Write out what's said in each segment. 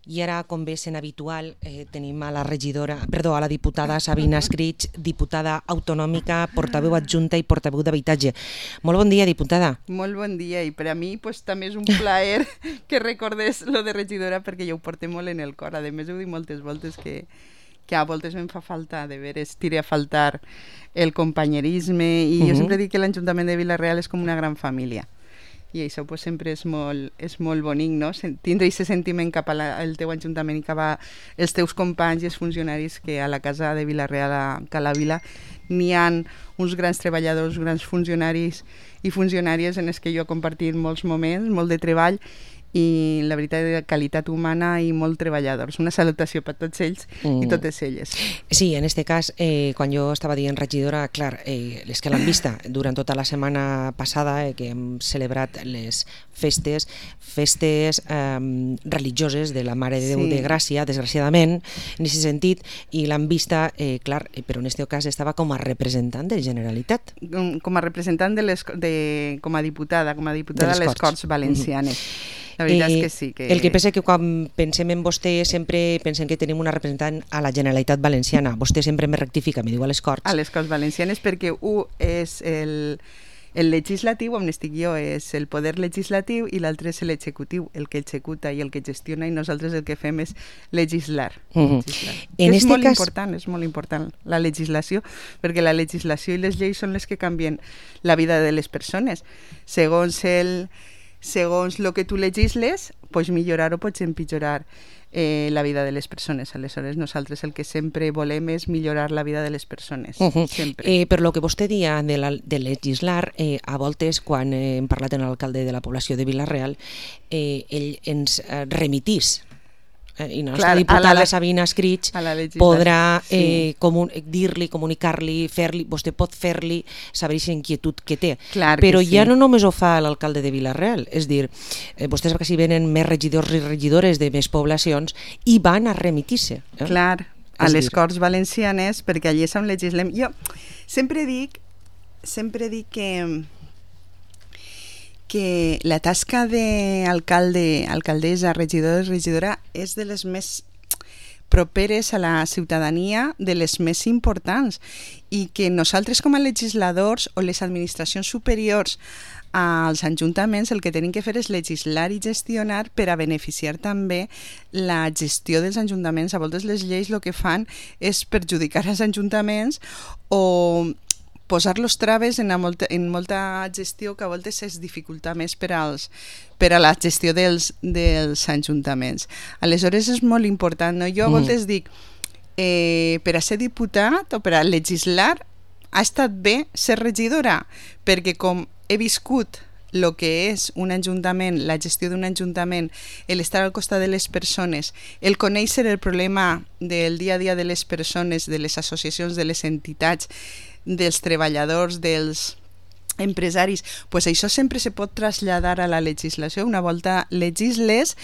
I ara, com bé sent habitual, tenim a la diputada Sabina Escrig, diputada autonòmica, portaveu adjunta i portaveu d'habitatge. Molt bon dia, diputada. Molt bon dia, i per a mi també és un plaer que recordés lo de regidora, perquè jo ho porto molt en el cor. A més, ho dic moltes voltes que a voltes em fa falta, de veres, tira a faltar el companyerisme, i jo sempre dic que l'Ajuntament de Vila-real és com una gran família. I això sempre és molt bonic, no? Tindre aquest sentiment cap al teu ajuntament i cap als teus companys i els funcionaris, que a la casa de Vila-real, a Cala Vila, n'hi ha uns grans treballadors, grans funcionaris i funcionàries en els que jo he compartit molts moments, molt de treball, i la veritat de qualitat humana i molt treballadors. Una salutació per tots ells i totes elles. Sí, en este cas, quan jo estava dient regidora, clar, les que l'han vista durant tota la setmana passada, que hem celebrat les festes religioses de la Mare de Déu de Gràcia, desgraciadament, en aquest sentit, i l'han vista, clar, però en aquest cas estava com a representant de Generalitat. Com a representant com a diputada de les Corts Valencianes. La veritat és que sí. El que passa que quan pensem en vostè sempre pensem que tenim una representant a la Generalitat Valenciana. Vostè sempre me rectifica, me diu a les Corts. A les Corts Valencianes, perquè un és el legislatiu, on estic jo, és el poder legislatiu, i l'altre és l'executiu, el que executa i el que gestiona, i nosaltres el que fem és legislar. És molt important la legislació, perquè la legislació i les lleis són les que canvien la vida de les persones. Segons el que tu legisles, pots millorar o pots empitjorar la vida de les persones. Aleshores, nosaltres el que sempre volem és millorar la vida de les persones. Sempre. Per lo que vostè dia de legislar, a voltes, quan hem parlat amb l'alcalde de la població de Vila-real, ell ens remitís, i la nostra diputada Sabina Escrig podrà dir-li, comunicar-li, vostè pot fer-li saber aquesta inquietud que té. Però ja no només ho fa l'alcalde de Vila-real, és dir, vostès que si venen més regidors i regidores de més poblacions i van a remitir-se. Clar, a les Corts Valencianes, perquè allí és on legislem. Jo sempre dic que la tasca d'alcalde, alcaldessa, regidor i regidora és de les més properes a la ciutadania, de les més importants, i que nosaltres com a legisladors o les administracions superiors als ajuntaments el que tenim que fer és legislar i gestionar per a beneficiar també la gestió dels ajuntaments. A voltes les lleis el que fan és perjudicar els ajuntaments o posar-los traves en molta gestió, que a voltes es dificulta més per a la gestió dels ajuntaments. Aleshores és molt important, no? Jo a voltes dic, per a ser diputat o per a legislar ha estat bé ser regidora, perquè com he viscut el que és un ajuntament, la gestió d'un ajuntament, l'estar al costat de les persones, el conèixer el problema del dia a dia de les persones, de les associacions, de les entitats, dels treballadors, dels empresaris, pues això sempre se pot traslladar a la legislació. Una volta legisles,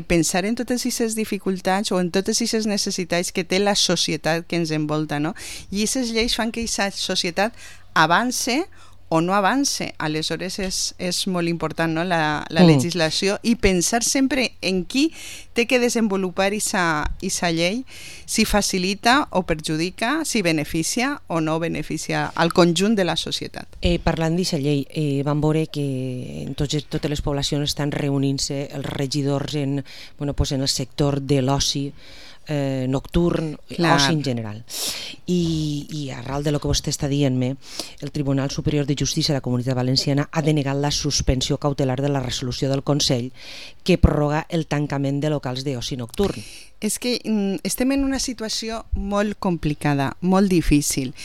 pensar en totes aquestes dificultats o en totes aquestes necessitats que té la societat que ens envolta, no? I aquestes lleis fan que aquesta societat avance o no avance. Aleshores és molt important, no? la legislació, i pensar sempre en qui té que desenvolupar aquesta llei, si facilita o perjudica, si beneficia o no beneficia al conjunt de la societat. Parlant d'aquesta llei, vam veure que en totes les poblacions estan reunint-se els regidors en el sector de l'oci nocturn, oci en general, i arran de lo que vostè està dient-me, el Tribunal Superior de Justícia de la Comunitat Valenciana ha denegat la suspensió cautelar de la resolució del Consell que prorroga el tancament de locals d'oci nocturn. És que estem en una situació molt complicada, molt difícil.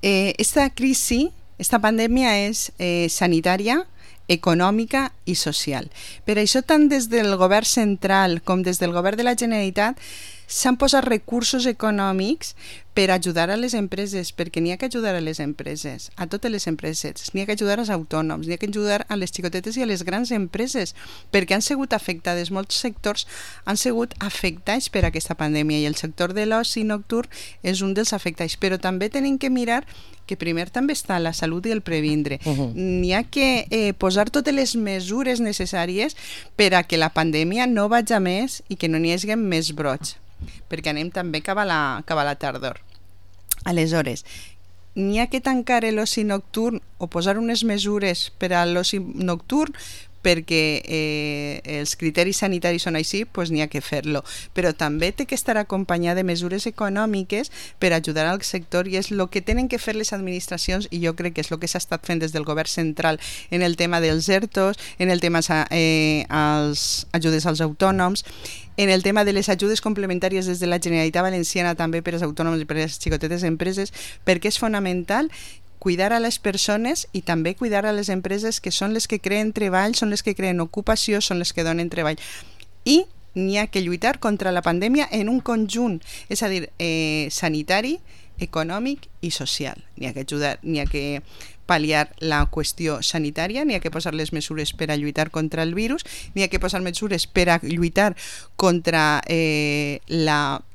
Esta crisi, esta pandèmia és sanitària, econòmica i social. Per això, tant des del govern central com des del govern de la Generalitat, s'han posat recursos econòmics per ajudar a les empreses, perquè n'hi ha que ajudar a les empreses, a totes les empreses, n'hi ha que ajudar als autònoms, n'hi ha que ajudar a les xicotetes i a les grans empreses, perquè han sigut afectades, molts sectors han sigut afectats per aquesta pandèmia, i el sector de l'oci nocturn és un dels afectats, però també tenim que mirar que primer també està la salut i el previndre. N'hi ha que posar totes les mesures necessàries per a que la pandèmia no vagi a més i que no n'hi hagi més brots, perquè anem també cap a la tardor. Aleshores, n'hi ha que tancar l'oci nocturn o posar unes mesures per a l'oci nocturn perquè els criteris sanitaris són així, doncs n'hi ha que fer-lo. Però també té que estar acompanyat de mesures econòmiques per ajudar al sector, i és el que tenen que fer les administracions, i jo crec que és el que s'ha estat fent des del govern central en el tema dels ERTOs, en el tema als ajudes als autònoms, en el tema de les ajudes complementàries des de la Generalitat Valenciana també per als autònoms i per a les xicotetes empreses, perquè és fonamental cuidar a les persones i també cuidar a les empreses, que són les que creen treball, són les que creen ocupació, són les que donen treball. I n'hi ha que lluitar contra la pandèmia en un conjunt, és a dir, sanitari, econòmic i social. N'hi ha que ajudar, n'hi ha que pal·liar la qüestió sanitària, n'hi ha que posar les mesures per a lluitar contra el virus, n'hi ha que posar mesures per a lluitar contra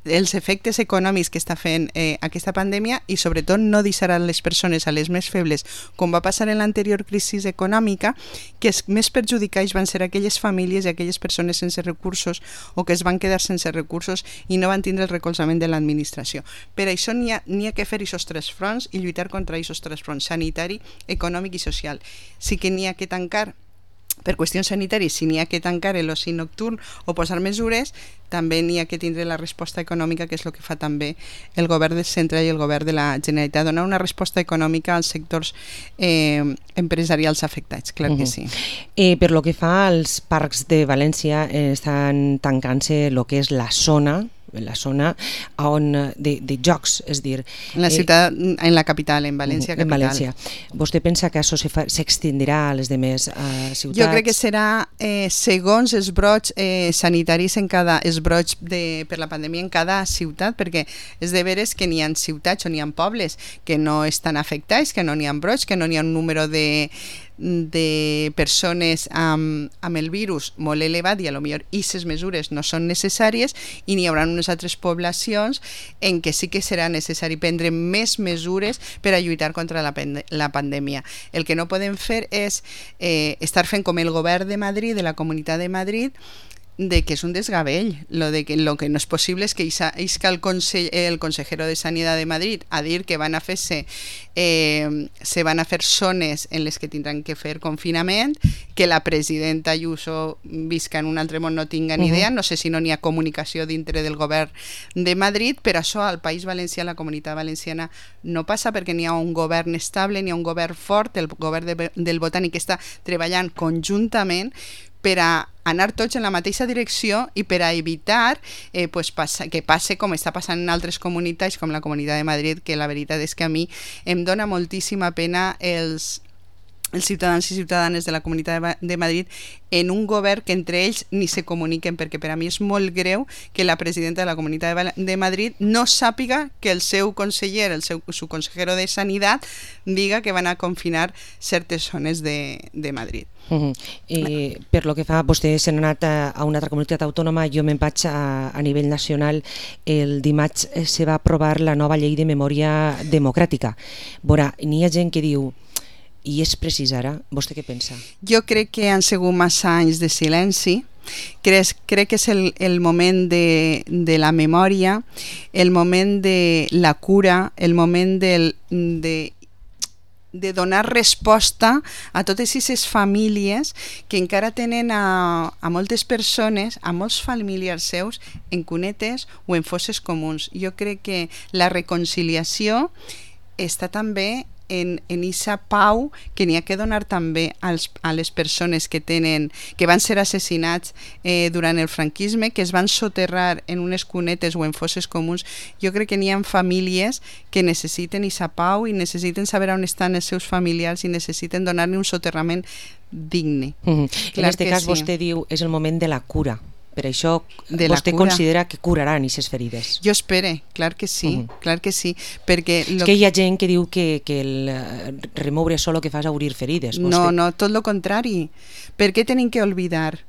els efectes econòmics que està fent aquesta pandèmia, i sobretot no deixar a les persones, a les més febles, com va passar en l'anterior crisi econòmica, que els més perjudicats van ser aquelles famílies i aquelles persones sense recursos o que es van quedar sense recursos i no van tindre el recolzament de l'administració. Per això n'hi ha que fer aquests tres fronts i lluitar contra aquests tres fronts: sanitari, econòmic i social. Sí que n'hi ha que tancar, per qüestions sanitàries, si n'hi ha que tancar l'oci nocturn o posar mesures, també n'hi ha que tindre la resposta econòmica, que és el que fa també el govern del centre i el govern de la Generalitat, donar una resposta econòmica als sectors empresarials afectats, clar que sí. Per lo que fa als parcs de València, estan tancant-se el que és la zona on de jocs, és a dir... En la ciutat, en la capital, en València capital. En València. Vostè pensa que això s'extendirà a les demés ciutats? Jo crec que serà segons els brots sanitaris els brots per la pandèmia en cada ciutat, perquè és de veres que n'hi ha ciutats o n'hi ha pobles que no estan afectats, que no n'hi ha brots, que no n'hi ha un número de persones amb el virus molt elevat, i a lo millor aquestes mesures no són necessàries, i n'hi haurà unes altres poblacions en què sí que serà necessari prendre més mesures per a lluitar contra la pandèmia. El que no podem fer és estar fent com el govern de Madrid, de la Comunitat de Madrid, de que és un desgavell. Lo que no és possible és que el consejero de Sanidad de Madrid a dir que van a fer-se se van a fer zones en les que tindran que fer confinament, que la presidenta Ayuso visca en un altre món, no tinga ni idea, no sé si no n'hi ha comunicació dintre del govern de Madrid, però això al País Valencià, a la Comunitat Valenciana, no passa, perquè n'hi ha un govern estable, n'hi ha un govern fort, el govern del Botànic està treballant conjuntament per a anar tots en la mateixa direcció i per a evitar que passe com està passant en altres comunitats, com la Comunitat de Madrid, que la veritat és que a mi em dona moltíssima pena els ciutadans i ciutadanes de la Comunitat de Madrid en un govern que entre ells ni se comuniquen, perquè per a mi és molt greu que la presidenta de la Comunitat de Madrid no sàpiga que el seu conseller, su consejero de Sanidad, diga que van a confinar certes zones de Madrid. Per lo que fa, vostè s'ha anat a una altra comunitat autònoma, jo me'n vaig a nivell nacional. El dimarts se va aprovar la nova llei de memòria democràtica. Veurà, n'hi ha gent que diu: i és precís ara? Vostè què pensa? Jo crec que han sigut massa anys de silenci. Crec que és el moment de la memòria, el moment de la cura, el moment de donar resposta a totes aquestes famílies que encara tenen a moltes persones, a molts familiars seus, en cunetes o en fosses comuns. Jo crec que la reconciliació està també en aquesta pau que n'hi ha que donar també a les persones que van ser assassinats durant el franquisme, que es van soterrar en unes cunetes o en fosses comuns. Jo crec que n'hi ha famílies que necessiten aquesta pau i necessiten saber on estan els seus familiars i necessiten donar-li un soterrament digne. En aquest cas vostè diu és el moment de la cura. Per això vostè considera que curaran aquestes ferides. Jo espero, clar que sí, clar que sí. Perquè és que hi ha gent que diu que el remoure això el que fa és obrir ferides. No, tot el contrari. Per què tenim que oblidar?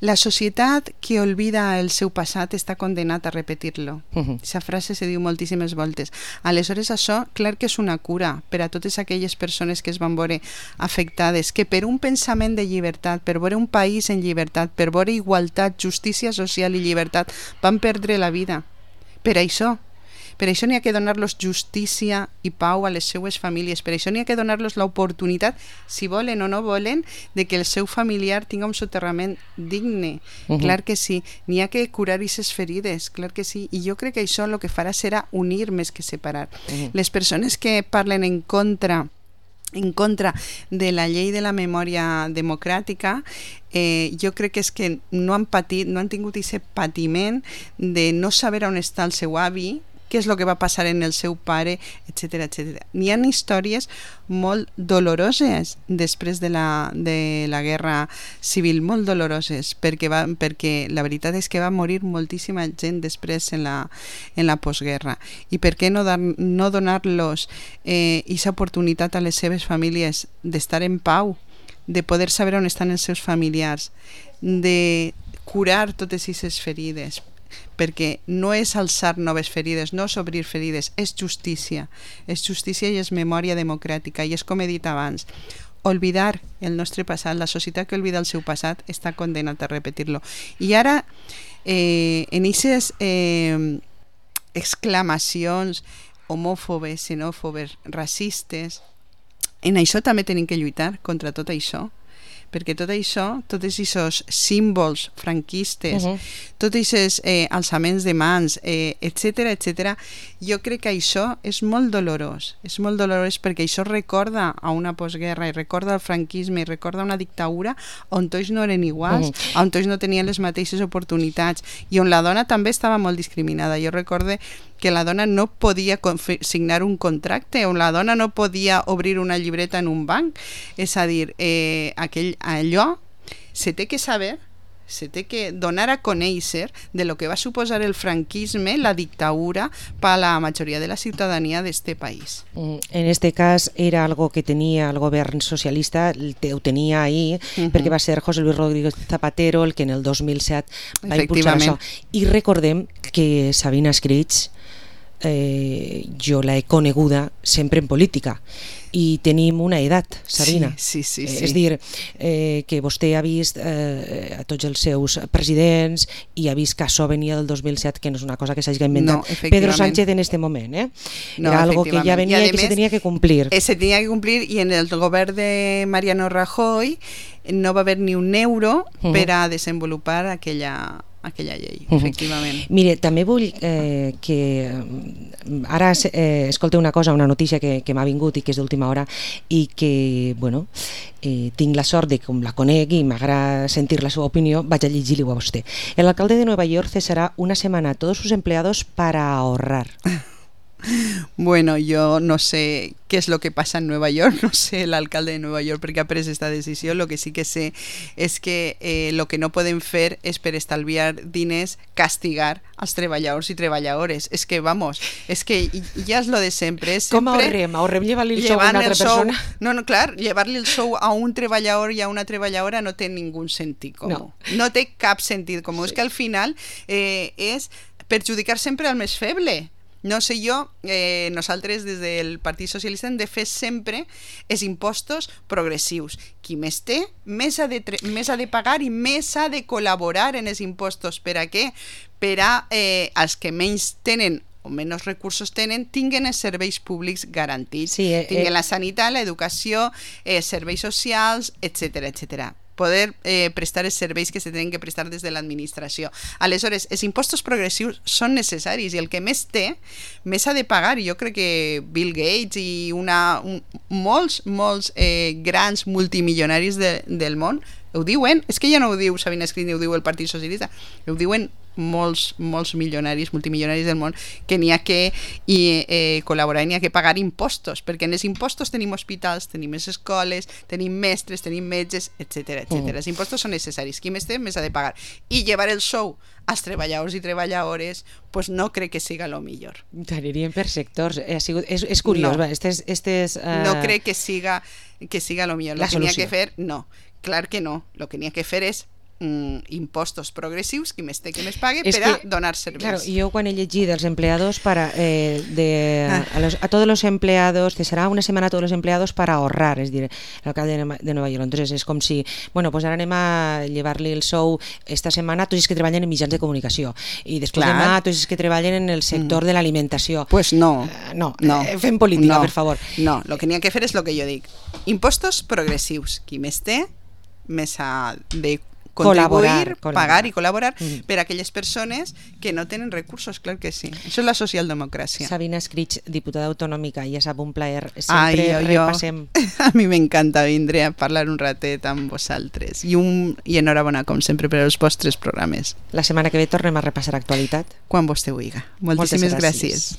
La societat que oblida el seu passat està condenat a repetir-lo. Aquesta frase se diu moltíssimes voltes. Aleshores això, clar que és una cura per a totes aquelles persones que es van veure afectades, que per un pensament de llibertat, per veure un país en llibertat, per veure igualtat, justícia social i llibertat, van perdre la vida. Per això n'hi ha que donar-los justícia i pau a les seues famílies, per això n'hi ha que donar-los l'oportunitat, si volen o no volen, de que el seu familiar tingui un soterrament digne. Clar que sí, n'hi ha que curar aquestes ferides, clar que sí, i jo crec que això el que farà serà unir més que separar. Les persones que parlen en contra de la llei de la memòria democràtica, jo crec que és que no han tingut aquest patiment de no saber on està el seu avi, què és el que va passar en el seu pare, etc. N'hi ha històries molt doloroses després de la guerra civil, molt doloroses, perquè la veritat és que va morir moltíssima gent després en la postguerra. I per què no donar-los aquesta oportunitat a les seves famílies d'estar en pau, de poder saber on estan els seus familiars, de curar totes aquestes ferides, perquè no és alçar noves ferides, no és obrir ferides, és justícia i és memòria democràtica, i és com he dit abans, oblidar el nostre passat, la societat que oblida el seu passat està condenat a repetir-lo. I ara, en aquestes exclamacions homòfobes, xenòfobes, racistes, en això també tenim que lluitar contra tot això, perquè tot això, tots aquests símbols franquistes, tots aquests alçaments de mans, etc., jo crec que això és molt dolorós perquè això recorda a una postguerra i recorda el franquisme i recorda una dictadura on tots no eren iguals, on tots no tenien les mateixes oportunitats i on la dona també estava molt discriminada. Jo recordo que la dona no podia signar un contracte, on la dona no podia obrir una llibreta en un banc, és a dir, allò se té que saber, se té que donar a conèixer de lo que va suposar el franquisme, la dictadura, per a la majoria de la ciutadania d'este país. En este cas era algo que tenia el govern socialista, ho tenia ahir, perquè va ser José Luis Rodríguez Zapatero el que en el 2007 va impulsar això. I recordem que Sabina Escrig jo l'he coneguda sempre en política i tenim una edat, Sabina. Sí. És dir, que vostè ha vist a tots els seus presidents i ha vist que això venia del 2007, que no és una cosa que s'hagi inventat Pedro Sánchez en este moment. Era algo que ja venia i que se tenia que complir. Se tenia que complir, i en el govern de Mariano Rajoy no va haver ni un euro per a desenvolupar aquella llei, efectivament. Mire, també vull que ara escolteu una cosa, una notícia que m'ha vingut i que és d'última hora i que, bueno, tinc la sort de que com la conec i m'agrada sentir la seva opinió, vaig a llegir-li a vostè. El alcalde de Nueva York cesará una semana a todos sus empleados para ahorrar. Bueno, yo no sé qué es lo que pasa en Nueva York, no sé el alcalde de Nueva York perquè ha pres esta decisió. Lo que sí que sé és que lo que no poden fer és, per estalviar diners, castigar als treballadors i treballadores. És que, vamos, és que ja és lo de sempre. Com ahorrem? Ahorrem llevar-li el sou a una altra persona? No, clar, llevar-li el sou a un treballador i a una treballadora no té ningú sentit comú. No té cap sentit comú. És que al final és perjudicar sempre al més feble. No sé jo, nosaltres des del Partit Socialista hem de fer sempre els impostos progressius. Qui més té, més ha de pagar i més ha de col·laborar en els impostos. Per a què? Per a els que menys tenen o menys recursos tenen, tinguen els serveis públics garantits. Tinguen la sanitat, l'educació, serveis socials, etc. Poder prestar els serveis que se tenen que prestar des de l'administració. Aleshores, els impostos progressius són necessaris i el que més té, més ha de pagar. Jo crec que Bill Gates i molts grans multimilionaris del món Ho diuen, és que ja no ho diu Sabina Escrit ni ho diu el Partit Socialista, ho diuen molts milionaris, multimilionaris del món, que n'hi ha que col·laborar i n'hi ha que pagar impostos, perquè en els impostos tenim hospitals, tenim les escoles, tenim mestres, tenim metges, etc. Els impostos són necessaris, qui més té més ha de pagar, i llevar el sou als treballadors i treballadores pues no crec que siga lo millor. Anirien per sectors, és curiós, no crec que siga lo millor. Lo que n'hi ha que fer, no, clar que no, lo que n'hi ha que fer és impostos progressius, qui més té que més pague, per a donar serveis. Claro, yo cuando he leído dels empleados a todos los empleados, que será una semana a todos los empleados para ahorrar, es decir, el alcalde de Nova York. Entonces es com si, bueno, pues ara anem a llevar-li el sou esta setmana a tots els que treballen en mitjans de comunicació i després demà a tots els que treballen en el sector de l'alimentació. Pues no. Fem política, per favor. No, el que n'hi ha que fer és el que jo dic. Impostos progressius. Qui més té, més ha de contribuir, pagar i col·laborar per a aquelles persones que no tenen recursos, clar que sí. Això és la socialdemocràcia. Sabina Escrit, diputada autonòmica, ja sap, un plaer. Sempre repassem. A mi m'encanta vindre a parlar un ratet amb vosaltres i enhorabona, com sempre, per als vostres programes. La setmana que ve tornem a repassar actualitat. Quan vostè vulgui. Moltíssimes gràcies.